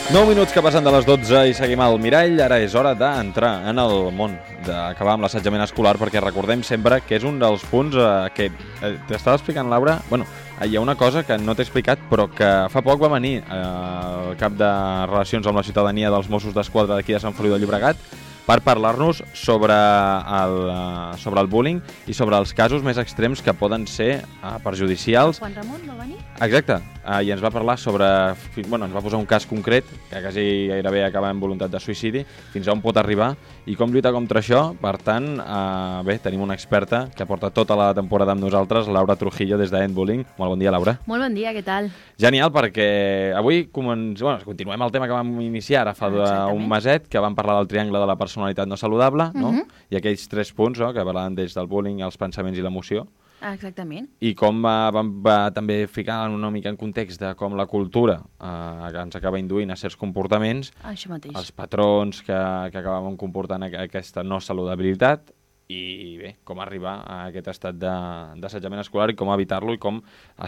9 minuts que passen de les 12 i seguim al Mirall. Ara és hora d'entrar en el món, d'acabar amb l'assetjament escolar, perquè recordem sempre que és un dels punts que t'estava explicant, Laura. Bueno, hi ha una cosa que no t'he explicat, però que fa poc va venir el cap de Relacions amb la Ciutadania dels Mossos d'Esquadra d'aquí de Sant Feliu de Llobregat per parlar-nos sobre el bullying i sobre els casos més extrems que poden ser perjudicials. Juan Ramon va venir? Exacte, i ens va parlar sobre... Bueno, ens va posar un cas concret, que quasi gairebé acaba en voluntat de suïcidi, fins a on pot arribar i com lluitar contra això. Per tant, bé, tenim una experta que porta tota la temporada amb nosaltres, Laura Trujillo, des d'Endbullying. Molt bon dia, Laura. Molt bon dia, què tal? Genial, perquè avui continuem el tema que vam iniciar ara fa un meset, que vam parlar del triangle de la personalitat no saludable, no? I aquells 3 punts, no?, que parlaven des del bullying, els pensaments i l'emoció. Exactament. I com va també ficar una mica en context de com la cultura ens acaba induint a certs comportaments, això mateix, els patrons que acabaven comportant aquesta no saludabilitat, i bé, com arribar a aquest estat d'assetjament escolar i com evitar-lo i com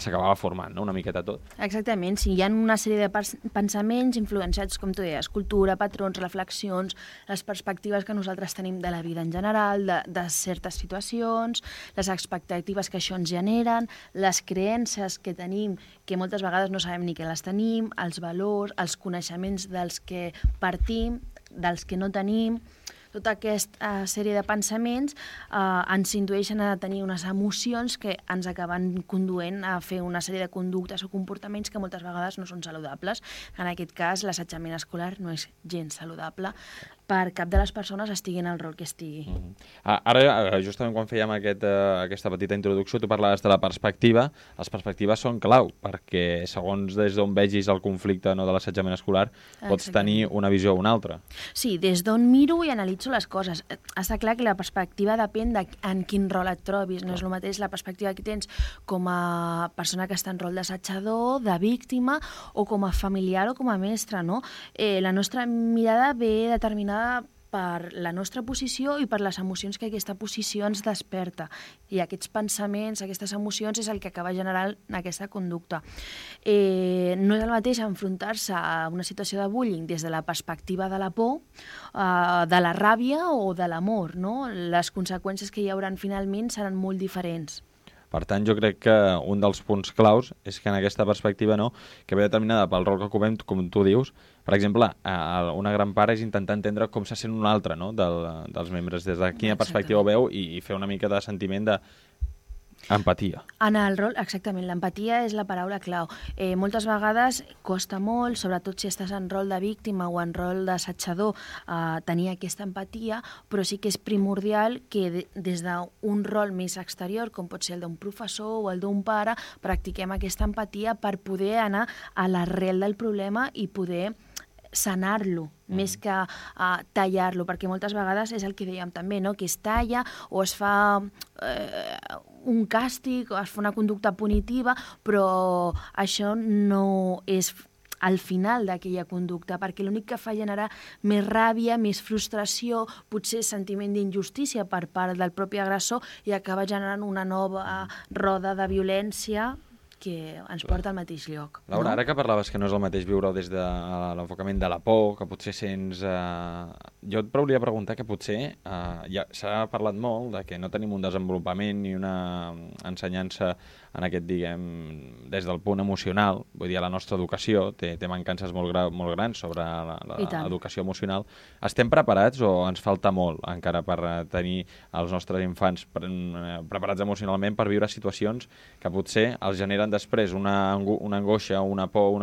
s'acabava formant, no?, una miqueta tot. Exactament, sí, hi ha una sèrie de pensaments influenciats, com tu deies, cultura, patrons, reflexions, les perspectives que nosaltres tenim de la vida en general, de certes situacions, les expectatives que això ens generen, les creences que tenim, que moltes vegades no sabem ni que les tenim, els valors, els coneixements dels que partim, dels que no tenim. Tota aquesta sèrie de pensaments ens indueixen a tenir unes emocions que ens acaben conduent a fer una sèrie de conductes o comportaments que moltes vegades no són saludables. En aquest cas, l'assetjament escolar no és gens saludable per cap de les persones estigui en el rol que estigui. Ara, justament quan fèiem aquesta petita introducció, tu parlaves de la perspectiva. Les perspectives són clau, perquè segons des d'on vegis el conflicte, no, de l'assetjament escolar, pots tenir una visió o una altra. Sí, des d'on miro i analitzo les coses. Està clar que la perspectiva depèn de en quin rol et trobis. No és el mateix la perspectiva que tens com a persona que està en rol d'assetjador, de víctima, o com a familiar o com a mestre, no? La nostra mirada ve determinada per la nostra posició i per les emocions que aquesta posició ens desperta. I aquests pensaments, aquestes emocions, és el que acaba generant aquesta conducta. No és el mateix enfrontar-se a una situació de bullying des de la perspectiva de la por, de la ràbia o de l'amor, no? Les conseqüències que hi hauran finalment seran molt diferents. Per tant, jo crec que un dels punts claus és que en aquesta perspectiva, no, que ve determinada pel rol que ocupem, com tu dius, per exemple, una gran part és intentar entendre com se sent un altre, no?, dels membres, des de quina perspectiva ho veu i fer una mica de sentiment d'empatia. En el rol, exactament, l'empatia és la paraula clau. Moltes vegades costa molt, sobretot si estàs en rol de víctima o en rol d'assetjador, tenir aquesta empatia, però sí que és primordial que des d'un rol més exterior, com pot ser el d'un professor o el d'un pare, practiquem aquesta empatia per poder anar a l'arrel del problema i poder sanar-lo, més que tallar-lo, perquè moltes vegades és el que dèiem també, no?, que es talla o es fa un càstig o es fa una conducta punitiva, però això no és al final d'aquella conducta, perquè l'únic que fa generar més ràbia, més frustració, potser sentiment d'injustícia per part del propi agressor i acaba generant una nova roda de violència que ens porta al mateix lloc. Laura, ara que parlaves que no és el mateix viure des de l'enfocament de la por, que potser sents... Jo et volia preguntar que potser s'ha parlat molt de que no tenim un desenvolupament ni una ensenyança en aquest, diguem, des del punt emocional. Vull dir, la nostra educació té mancances molt grans sobre l'educació emocional. Estem preparats o ens falta molt encara per tenir els nostres infants preparats emocionalment per viure situacions que potser els generen després una angoixa, una por,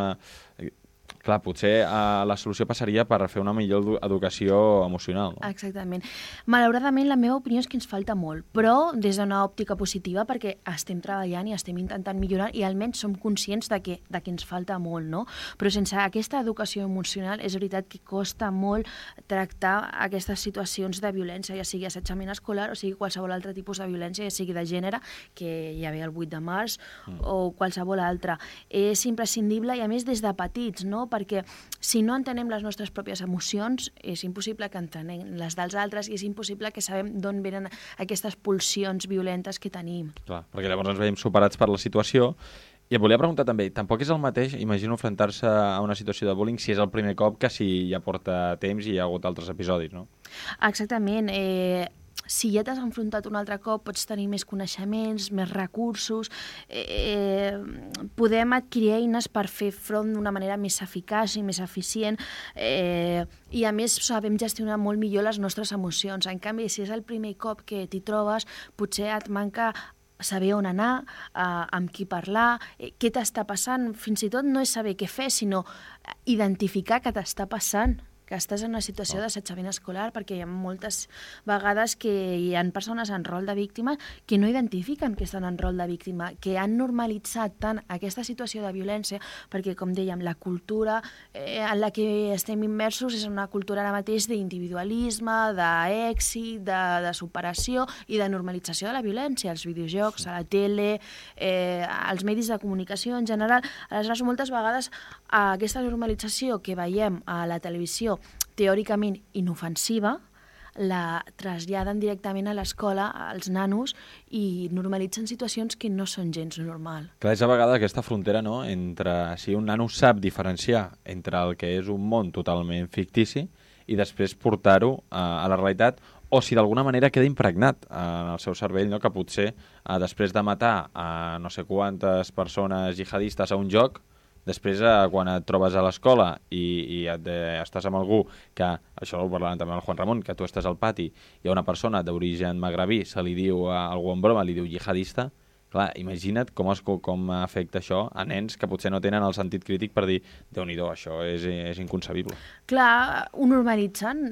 Clar, potser la solució passaria per fer una millor educació emocional, no? Exactament. Malauradament, la meva opinió és que ens falta molt, però des d'una òptica positiva, perquè estem treballant i estem intentant millorar i almenys som conscients de que ens falta molt, no? Però sense aquesta educació emocional és veritat que costa molt tractar aquestes situacions de violència, ja sigui assetjament escolar o sigui qualsevol altre tipus de violència, ja sigui de gènere, que hi havia el 8 de març, o qualsevol altra. És imprescindible i a més des de petits, no? Perquè si no entenem les nostres pròpies emocions, és impossible que entenem les dels altres i és impossible que sabem d'on venen aquestes pulsions violentes que tenim. Clar, perquè llavors ens veiem superats per la situació I et volia preguntar també, tampoc és el mateix, imagino, enfrontar-se a una situació de bullying si és el primer cop que si ja porta temps i hi ha hagut altres episodis, no? Exactament. Si ja t'has enfrontat un altre cop, pots tenir més coneixements, més recursos, podem adquirir eines per fer front d'una manera més eficaç i més eficient, i a més sabem gestionar molt millor les nostres emocions. En canvi, si és el primer cop que t'hi trobes, potser et manca saber on anar, amb qui parlar, què t'està passant. Fins i tot no és saber què fer, sinó identificar què t'està passant, que estàs en una situació d'assetjament escolar, perquè hi ha moltes vegades que hi ha persones en rol de víctima que no identifiquen que estan en rol de víctima, que han normalitzat tant aquesta situació de violència, perquè, com dèiem, la cultura en la que estem immersos és una cultura ara mateix d'individualisme, d'èxit, de superació i de normalització de la violència, als videojocs, a la tele, als medis de comunicació en general. Aleshores, moltes vegades aquesta normalització que veiem a la televisió teòricament inofensiva, la traslladen directament a l'escola, als nanos, i normalitzen situacions que no són gens normal. Clar, és a vegades aquesta frontera, no?, entre si un nano sap diferenciar entre el que és un món totalment fictici i després portar-ho a la realitat, o si d'alguna manera queda impregnat en el seu cervell, no?, que potser després de matar a no sé quantes persones jihadistes a un joc, després, quan et trobes a l'escola i estàs amb algú que, això ho parlàvem també amb el Juan Ramon, que tu estàs al pati, hi ha una persona d'origen magrebí, se li diu a algú en broma, li diu jihadista, clar, imagina't com afecta això a nens que potser no tenen el sentit crític per dir, Déu-n'hi-do, això és inconcebible. Clar, ho normalitzen.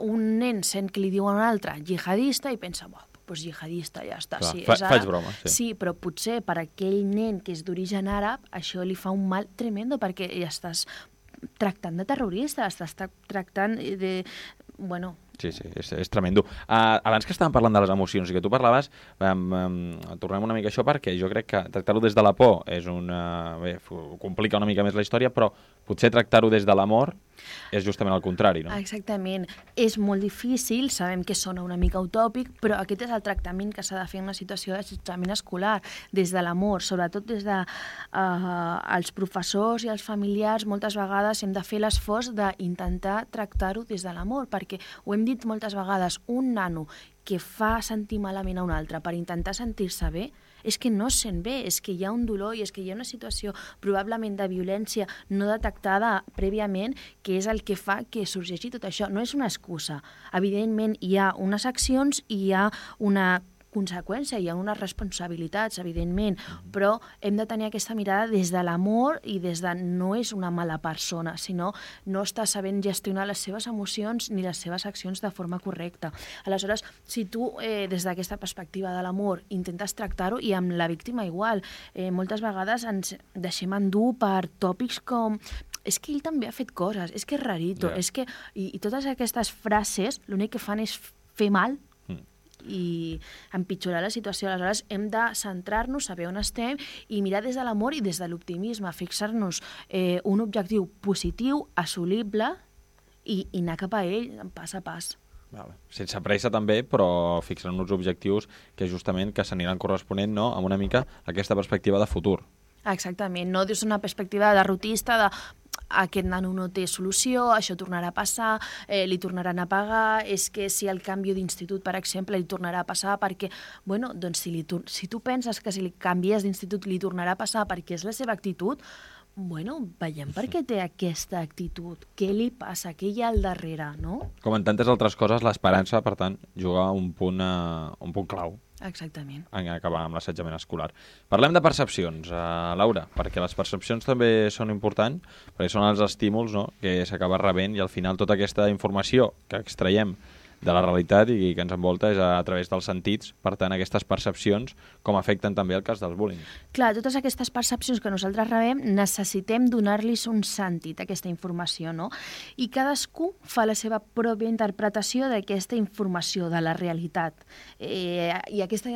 Un nen sent que li diu a un altre jihadista i pensa, doncs jihadista, ja està. Clar, sí, faig broma. Sí, però potser per aquell nen que és d'origen àrab això li fa un mal tremendo, perquè ja estàs tractant de terrorista, estàs tractant de... Bueno... Sí, és tremendo. Abans que estàvem parlant de les emocions i que tu parlaves, tornem una mica a això, perquè jo crec que tractar-ho des de la por és bé, complica una mica més la història, però potser tractar-ho des de l'amor és justament el contrari, no? Exactament. És molt difícil, sabem que sona una mica utòpic, però aquest és el tractament que s'ha de fer en una situació d'assetjament escolar, des de l'amor, sobretot des de els professors i els familiars. Moltes vegades hem de fer l'esforç d'intentar tractar-ho des de l'amor, perquè ho hem dit moltes vegades, un nano que fa sentir malament a un altre per intentar sentir-se bé, és que no es sent bé, és que hi ha un dolor i és que hi ha una situació probablement de violència no detectada prèviament, que és el que fa que sorgeixi tot això. No és una excusa. Evidentment, hi ha unes accions i hi ha una conseqüència, hi ha unes responsabilitats, evidentment, però hem de tenir aquesta mirada des de l'amor i des de no és una mala persona, sinó no està sabent gestionar les seves emocions ni les seves accions de forma correcta. Aleshores, si tu, des d'aquesta perspectiva de l'amor, intentes tractar-ho, i amb la víctima igual, moltes vegades ens deixem endur per tòpics com és que ell també ha fet coses, és que és rarito, és que... I totes aquestes frases l'únic que fan és fer mal i empitjorar la situació. Aleshores, hem de centrar-nos, saber on estem i mirar des de l'amor i des de l'optimisme, fixar-nos un objectiu positiu, assolible i anar cap a ell pas a pas. Vale. Sense pressa també, però fixant uns objectius que justament que s'aniran corresponent, no?, amb una mica aquesta perspectiva de futur. Exactament, no dius una perspectiva derrotista de aquest nano no té solució, això tornarà a passar, li tornaran a pagar, és que si el canvi d'institut, per exemple, li tornarà a passar perquè, bueno, doncs si tu penses que si li canvies d'institut li tornarà a passar perquè és la seva actitud, bueno, veiem per què té aquesta actitud, què li passa, què hi ha al darrere, no? Com en tantes altres coses, l'esperança, per tant, juga un punt clau. Exactament. En acabar amb l'assetjament escolar. Parlem de percepcions, Laura, perquè les percepcions també són importants, perquè són els estímuls, no?, que s'acaba rebent, i al final tota aquesta informació que extraiem de la realitat i que ens envolta és a través dels sentits. Per tant, aquestes percepcions com afecten també el cas del bullying. Clar, totes aquestes percepcions que nosaltres rebem necessitem donar-los un sentit, aquesta informació, no? I cadascú fa la seva pròpia interpretació d'aquesta informació, de la realitat. I aquesta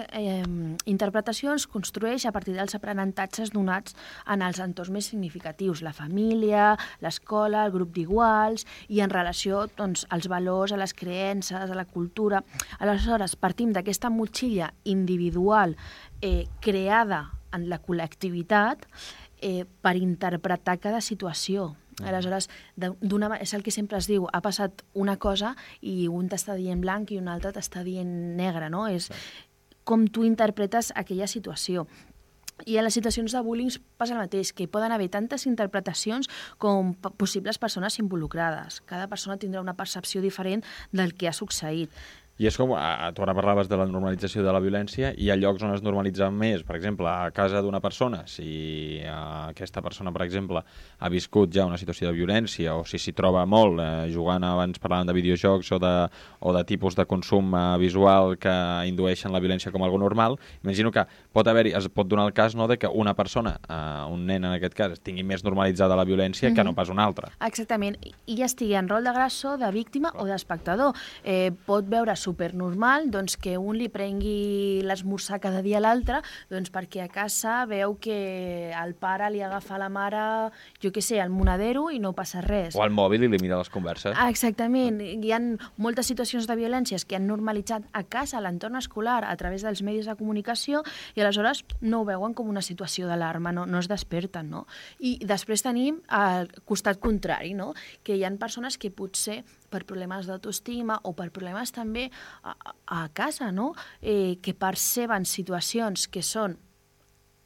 interpretació es construeix a partir dels aprenentatges donats en els entorns més significatius, la família, l'escola, el grup d'iguals, i en relació, doncs, als valors, a les creences, a la cultura. Aleshores, partim d'aquesta motxilla individual creada en la col·lectivitat per interpretar cada situació. Aleshores, és el que sempre es diu, ha passat una cosa i un t'està dient blanc i un altre t'està dient negre, no? És com tu interpretes aquella situació. I a les situacions de bullying passa el mateix, que hi poden haver tantes interpretacions com possibles persones involucrades. Cada persona tindrà una percepció diferent del que ha succeït. I és com, tu ara parlaves de la normalització de la violència, i hi ha llocs on es normalitza més, per exemple, a casa d'una persona, si aquesta persona, per exemple, ha viscut ja una situació de violència, o si s'hi troba molt, jugant, abans parlàvem de videojocs o de tipus de consum visual que indueixen la violència com algo normal, imagino que es pot donar el cas, no, de que una persona, un nen en aquest cas, tingui més normalitzada la violència que no pas una altra. Exactament, i ja estigui en rol d'agressor, de víctima o d'espectador. Pot veure supernormal doncs, que un li prengui l'esmorzar cada dia a l'altre doncs, perquè a casa veu que el pare li agafa a la mare, jo què sé, el monedero i no passa res. O al mòbil i li mira les converses. Exactament. Hi ha moltes situacions de violències que han normalitzat a casa, a l'entorn escolar, a través dels medis de comunicació, i aleshores no ho veuen com una situació d'alarma, no es desperten. No? I després tenim el costat contrari, no? Que hi ha persones que potser per problemes d'autoestima o per problemes també a casa, no? Que perceben situacions que són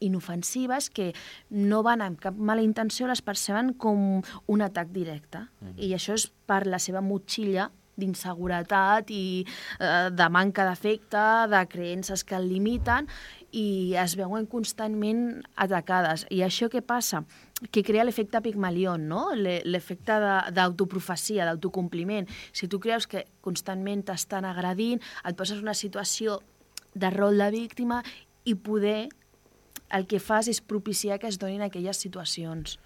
inofensives, que no van amb cap mala intenció, les perceben com un atac directe. I això és per la seva motxilla d'inseguretat i de manca d'afecte, de creences que el limiten, i es veuen constantment atacades. I això què passa? Que crea l'efecte Pigmalión, no? L'efecte d'autoprofecia, d'autocompliment. Si tu creus que constantment t'estan agredint, et poses en una situació de rol de víctima i poder el que fas és propiciar que es donin aquelles situacions.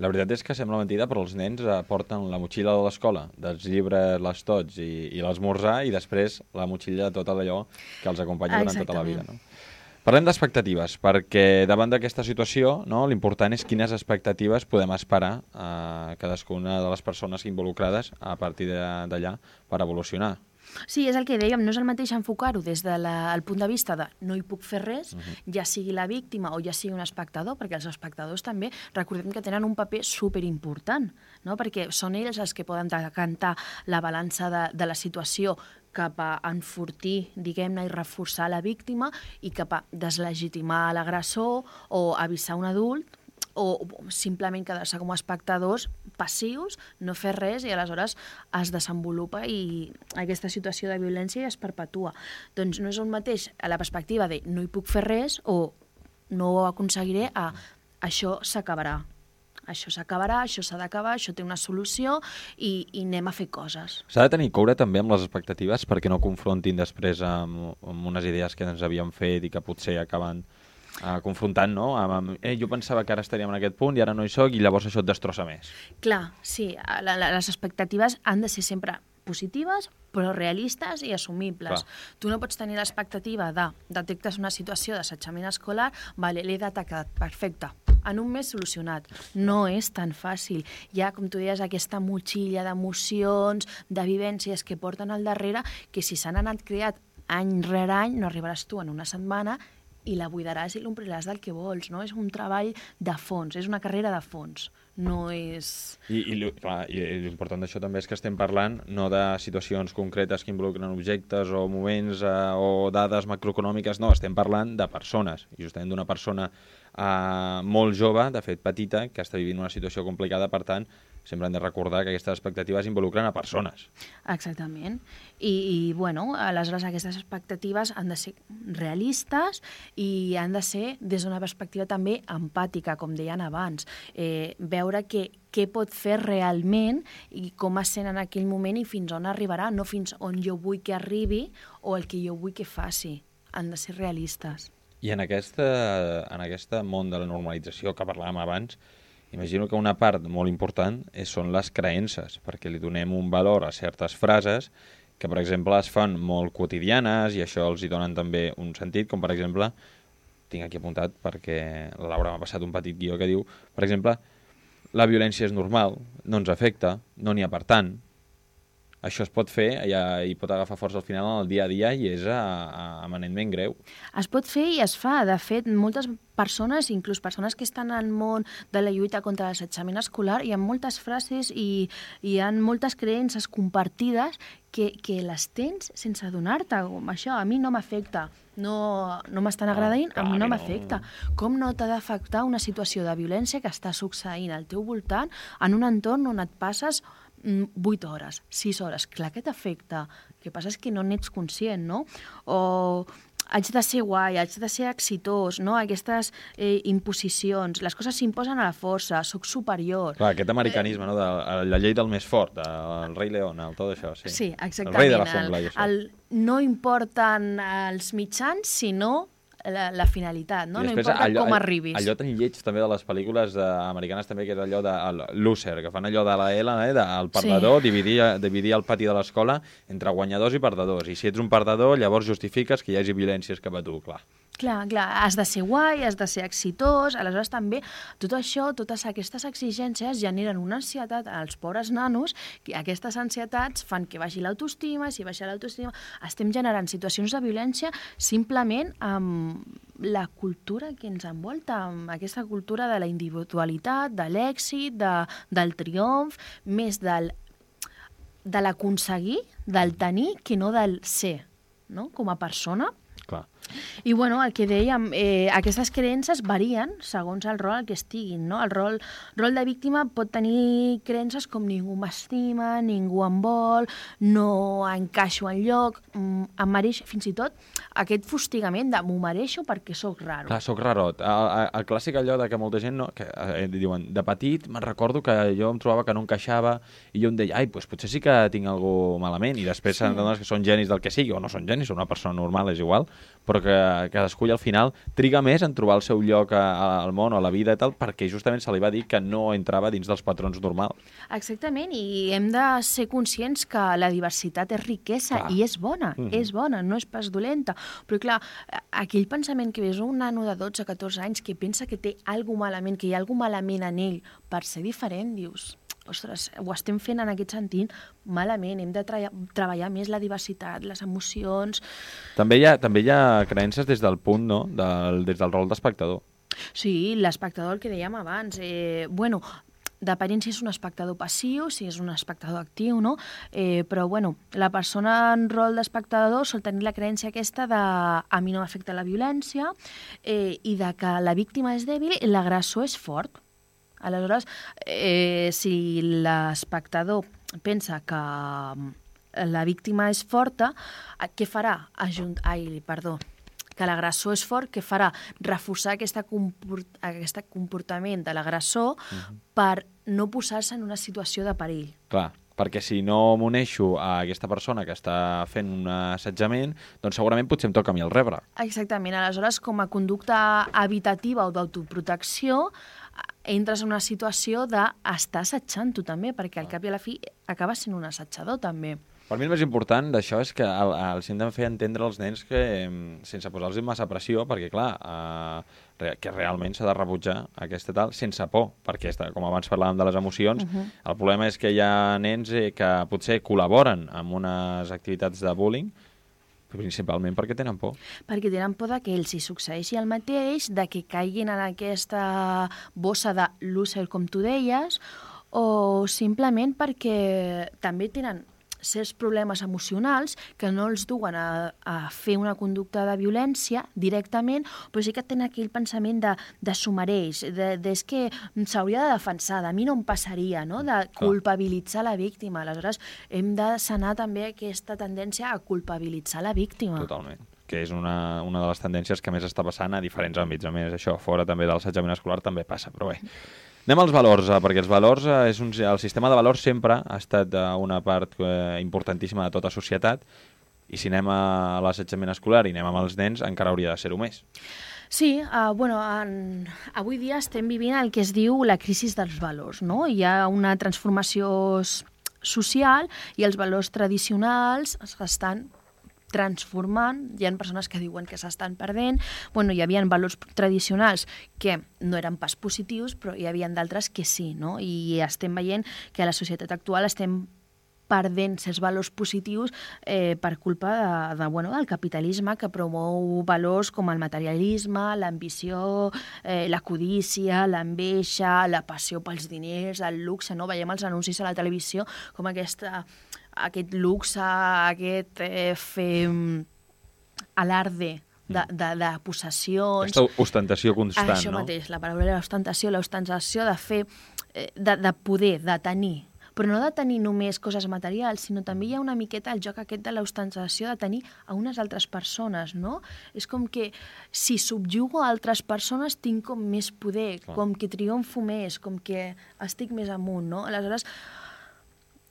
La veritat és que sembla mentida, però els nens porten la motxilla de l'escola, dels llibres, les tots i l'esmorzar, i després la motxilla de tot allò que els acompanya durant tota la vida. No? Parlem d'expectatives, perquè davant d'aquesta situació, no, l'important és quines expectatives podem esperar a cadascuna de les persones involucrades a partir d'allà per evolucionar. Sí, és el que dèiem, no és el mateix enfocar-ho des del punt de vista de no hi puc fer res, ja sigui la víctima o ja sigui un espectador, perquè els espectadors també, recordem que tenen un paper superimportant, no? Perquè són ells els que poden decantar la balança de la situació cap a enfortir, diguem-ne, i reforçar la víctima i cap a deslegitimar l'agressor o avisar un adult, o simplement quedar-se com a espectadors passius, no fer res, i aleshores es desenvolupa i aquesta situació de violència es perpetua. Doncs no és el mateix a la perspectiva de no hi puc fer res o no ho aconseguiré a això s'acabarà. Això s'acabarà, això s'ha d'acabar, això té una solució i anem a fer coses. S'ha de tenir coure també amb les expectatives perquè no confrontin després amb unes idees que ens havíem fet i que potser acaben confrontant, no? Jo pensava que ara estaríem en aquest punt i ara no hi soc, i llavors això et destrossa més. Clar, sí, les expectatives han de ser sempre positives, però realistes i assumibles. Clar. Tu no pots tenir l'expectativa de detectes una situació d'assetjament escolar, vale, l'he detectat, perfecte, en un mes solucionat. No és tan fàcil. Hi ha, com tu deies, aquesta motxilla d'emocions, de vivències que porten al darrere, que si s'han anat creat any rere any, no arribaràs tu en una setmana i la buidaràs i l'ompliràs del que vols, no? És un treball de fons, és una carrera de fons, no és... I l'important d'això també és que estem parlant no de situacions concretes que involucren objectes o moments o dades macroeconòmiques, no, estem parlant de persones, i justament d'una persona molt jove, de fet petita, que està vivint una situació complicada, per tant, sempre hem de recordar que aquestes expectatives involucren a persones. Exactament. I bueno, aleshores aquestes expectatives han de ser realistes i han de ser des d'una perspectiva també empàtica, com deien abans. Veure què pot fer realment i com es sent en aquell moment i fins on arribarà, no fins on jo vull que arribi o el que jo vull que faci. Han de ser realistes. I en aquest món de la normalització que parlàvem abans, imagino que una part molt important són les creences, perquè li donem un valor a certes frases que, per exemple, es fan molt quotidianes i això els hi donen també un sentit, com per exemple, tinc aquí apuntat perquè la Laura m'ha passat un petit guió que diu, per exemple, la violència és normal, no ens afecta, no n'hi ha per tant. això es pot fer i pot agafar força al final en el dia a dia i és eminentment greu. Es pot fer i es fa. De fet, moltes persones, inclús persones que estan al món de la lluita contra l'assetjament escolar, hi ha moltes frases i hi ha moltes creences compartides que les tens sense adonar-te. Això a mi no m'afecta, no m'estan agradant, a mi no m'afecta. Com no t'ha d'afectar una situació de violència que està succeint al teu voltant en un entorn on et passes 8 hores, 6 hores? Clar que t'afecta. El que passa és que no n'ets conscient, no? O haig de ser guai, haig de ser exitós, no? Aquestes imposicions, les coses s'imposen a la força, soc superior. Clar, aquest americanisme, no? De la llei del més fort, el rei León, tot això, sí. Sí, exactament. El rei de la jungla, i això. No importen els mitjans, sinó la finalitat, no? No importa com arribis. Allò tan lleig també de les pel·lícules americanes també, que és allò de loser, que fan allò de la L, del perdedor, dividir el pati de l'escola entre guanyadors i perdedors. I si ets un perdedor, llavors justifiques que hi hagi violències cap a tu, clar. Clar, has de ser guai, has de ser exitós, aleshores també tot això, totes aquestes exigències generen una ansietat als pobres nanos, que aquestes ansietats fan que baixi l'autoestima, i si baixa l'autoestima estem generant situacions de violència simplement amb la cultura que ens envolta, amb aquesta cultura de la individualitat, de l'èxit, del triomf, més de l'aconseguir, del tenir, que no del ser, no? Com a persona. Clar. I bueno, el que dèiem, aquestes creences varien segons el rol al que estiguin, no? El rol de víctima pot tenir creences com ningú m'estima, ningú em vol, no encaixo enlloc, em mereixo, fins i tot aquest fustigament de m'ho mereixo perquè sóc raro. Clar, sóc rarot. El clàssic allò de que molta gent diuen, de petit me'n recordo que jo em trobava que no encaixava i jo em deia, doncs potser sí que tinc alguna malament, i després s'adones que són genis del que sigui, o no són genis, són una persona normal, és igual, però que cadascú al final triga més en trobar el seu lloc al món o a la vida i tal, perquè justament se li va dir que no entrava dins dels patrons normals. Exactament, i hem de ser conscients que la diversitat és riquesa. Clar. I és bona, és bona, no és pas dolenta. Però clar, aquell pensament que ves un nano de 12-14 anys que pensa que té alguna malament, que hi ha alguna malament en ell per ser diferent, dius, ostres, ho estem fent en aquest sentit malament, hem de treballar més la diversitat, les emocions. També hi ha creences des del punt, no?, des del rol d'espectador. Sí, l'espectador, el que dèiem abans. Depenent si és un espectador passiu, si és un espectador actiu, no? Però, la persona en rol d'espectador sol tenir la creença aquesta de a mi no m'afecta la violència i de que la víctima és dèbil i l'agressor és fort. Aleshores, si l'espectador pensa que la víctima és forta, què farà? Que l'agressor és fort, què farà? Reforçar aquest comportament de l'agressor per no posar-se en una situació de perill. Clar, perquè si no m'uneixo a aquesta persona que està fent un assetjament, doncs segurament potser em toca a mi el rebre. Exactament. Aleshores, com a conducta evitativa o d'autoprotecció, entres en una situació d'estar assetjant tu també, perquè al cap i a la fi acabes sent un assetjador també. Per mi el més important d'això és que els hem de fer entendre als nens que, sense posar-los massa pressió, perquè clar, que realment s'ha de rebutjar aquesta tal, sense por, perquè com abans parlàvem de les emocions, el problema és que hi ha nens que potser col·laboren amb unes activitats de bullying, principalment perquè tenen por. Perquè tenen por que els hi succeeixi el mateix, de que caiguin en aquesta bossa de loser, com tu deies, o simplement perquè també tenen certs problemes emocionals que no els duen a fer una conducta de violència directament, però sí que tenen aquell pensament de s'ho mereix, és que s'hauria de defensar, de mi no em passaria, no? De culpabilitzar la víctima. Aleshores, hem de sanar també aquesta tendència a culpabilitzar la víctima. Totalment. Que és una de les tendències que més està passant a diferents àmbits. A més, això, fora també del assetjament escolar també passa, però bé. Anem als valors, perquè els valors, el sistema de valors sempre ha estat una part importantíssima de tota societat, i si anem a l'assetjament escolar i anem amb els nens, encara hauria de ser-ho més. Sí, avui dia estem vivint el que es diu la crisi dels valors, no? Hi ha una transformació social i els valors tradicionals estan transformant, hi ha persones que diuen que s'estan perdent, hi havia valors tradicionals que no eren pas positius, però hi havia d'altres que sí, no? I estem veient que a la societat actual estem perdent certs valors positius per culpa del capitalisme, que promou valors com el materialisme, l'ambició, la codícia, l'enveja, la passió pels diners, el luxe, no? Veiem els anuncis a la televisió com aquest luxe, aquest fer alarde de possessions. Aquesta ostentació constant, no? Això mateix, la paraula era l'ostentació de fer, de poder, de tenir. Però no de tenir només coses materials, sinó també hi ha una miqueta el joc aquest de l'ostentació de tenir a unes altres persones, no? És com que si subjugo a altres persones tinc com més poder, com que triomfo més, com que estic més amunt, no? Aleshores,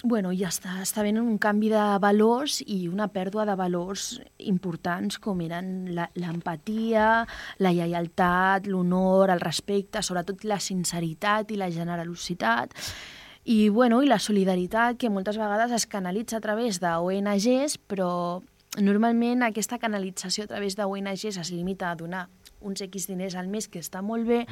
ja està venint un canvi de valors i una pèrdua de valors importants com eren l'empatia, la lleialtat, l'honor, el respecte, sobretot la sinceritat i la generositat. I la solidaritat, que moltes vegades es canalitza a través d'ONGs, però normalment aquesta canalització a través d'ONGs es limita a donar uns X diners al mes, que està molt bé,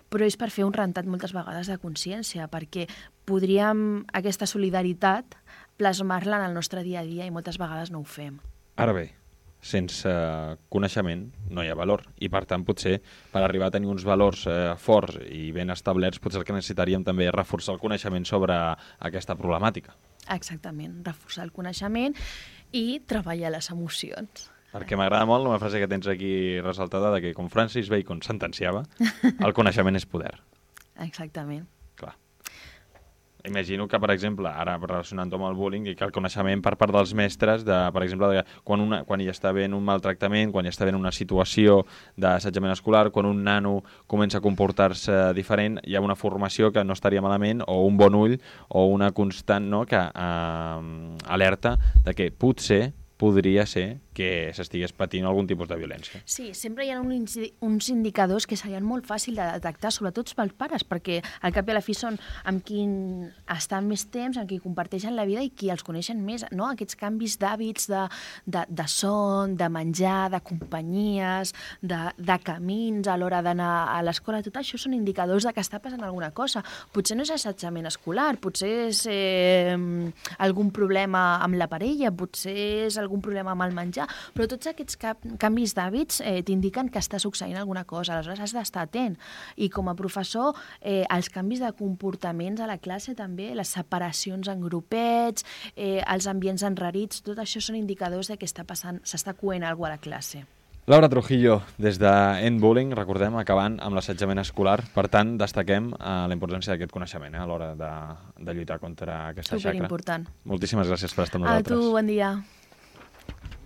però és per fer un rentat moltes vegades de consciència, perquè podríem aquesta solidaritat plasmar-la en el nostre dia a dia i moltes vegades no ho fem. Ara bé, sense coneixement no hi ha valor i per tant potser per arribar a tenir uns valors forts i ben establerts potser el que necessitaríem també és reforçar el coneixement sobre aquesta problemàtica. Exactament, reforçar el coneixement i treballar les emocions. Perquè m'agrada molt una frase que tens aquí ressaltada de que, com Francis Bacon sentenciava, el coneixement és poder. Exactament. Clar. Imagino que, per exemple, ara relacionant-ho amb el bullying, que el coneixement per part dels mestres, per exemple, quan hi està havent un maltractament, quan hi està havent una situació d'assetjament escolar, quan un nano comença a comportar-se diferent, hi ha una formació que no estaria malament, o un bon ull, o una constant, no?, que alerta de que potser podria ser que s'estigués patint algun tipus de violència. Sí, sempre hi ha uns indicadors que serien molt fàcils de detectar, sobretot pels pares, perquè al cap i a la fi són amb qui estan més temps, amb qui comparteixen la vida i qui els coneixen més, no? Aquests canvis d'hàbits, de son, de menjar, de companyies, de camins a l'hora d'anar a l'escola, tot això són indicadors de que està passant alguna cosa. Potser no és assetjament escolar, potser és algun problema amb la parella, potser és algun problema amb el menjar, però tots aquests canvis d'hàbits t'indiquen que està succeint alguna cosa, aleshores has d'estar atent. I com a professor, els canvis de comportaments a la classe també, les separacions en grupets, els ambients enrarits, tot això són indicadors de que s'està coent alguna cosa a la classe. Laura Trujillo, des d'End Bullying, recordem, acabant amb l'assetjament escolar. Per tant, destaquem la importància d'aquest coneixement a l'hora de lluitar contra aquesta xacra. Superimportant. Moltíssimes gràcies per estar amb nosaltres. A tu, bon dia.